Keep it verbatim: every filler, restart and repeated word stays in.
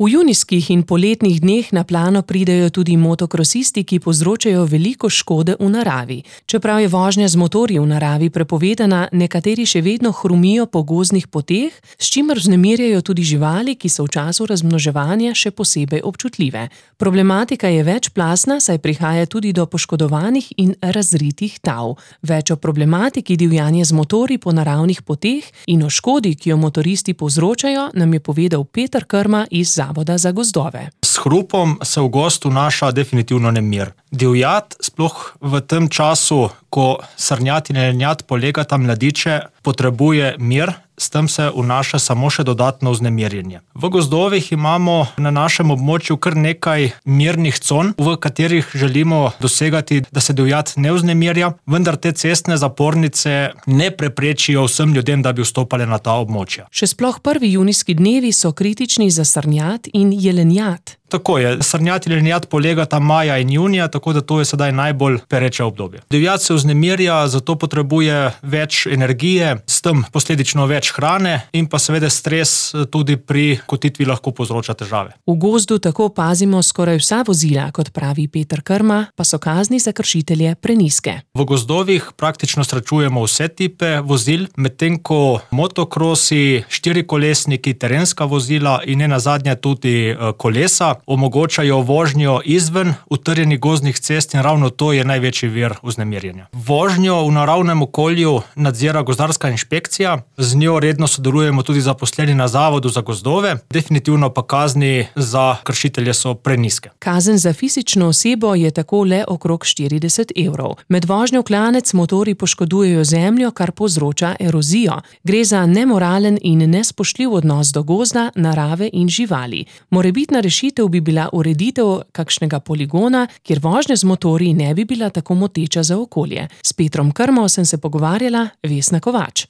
V junijskih in poletnih dneh na plano pridejo tudi motokrosisti, ki povzročajo veliko škode v naravi. Čeprav je vožnja z motorji v naravi prepovedana, nekateri še vedno hrumijo po gozdnih poteh, s čimer vznemirjajo tudi živali, ki so v času razmnoževanja še posebej občutljive. Problematika je večplastna, saj prihaja tudi do poškodovanih in razritih tav. Več o problematiki divjanja z motorji po naravnih poteh in o škodi, ki jo motoristi povzročajo, nam je povedal Peter Krma iz Zavoda za gozdove. S hrupom se v gozd vnaša definitivno nemir. Divjad, sploh v tem času, ko srnjad in jelenjad polegata mladiče, potrebuje mir, s tem se vnaša samo še dodatno vznemirjenje. V gozdovih imamo na našem območju kar nekaj mirnih con, v katerih želimo dosegati, da se divjad ne vznemirja, vendar te cestne zapornice ne preprečijo vsem ljudem, da bi vstopali na ta območja. Še sploh prvi junijski dnevi so kritični za srnjad in jelenjad. Tako je, srnjad in jelenjad polegata maja in junija, tako da to je sedaj najbolj pereče obdobje. Divjad se vznemirja, zato potrebuje več energije, s tem posledično več hrane in pa seveda stres tudi pri kotitvi lahko povzroča težave. V gozdu tako opazimo skoraj vsa vozila, kot pravi Peter Krma, pa so kazni za kršitelje prenizke. V gozdovih praktično srečujemo vse tipe vozil, medtem ko motokrosi, štirikolesniki, terenska vozila in nenazadnje tudi kolesa omogočajo vožnjo izven utrjenih gozdnih cest in ravno to je največji vir vznemirjenja. Vožnjo v naravnem okolju nadzira gozdarska inšpekcija, z njo redno sodelujemo tudi zaposleni na Zavodu za gozdove, definitivno pa kazni za kršitelje so prenizke. Kazen za fizično osebo je tako le okrog štirideset evrov. Med vožnjo v klanec motorji poškodujejo zemljo, kar povzroča erozijo. Gre za nemoralen in nespoštljiv odnos do gozda, narave in živali. Morebitna rešitev bi bila ureditev kakšnega poligona, kjer vožnja z motorji ne bi bila tako moteča za okolje. S Petrom Krmo sem se pogovarjala, Vesna Kovač.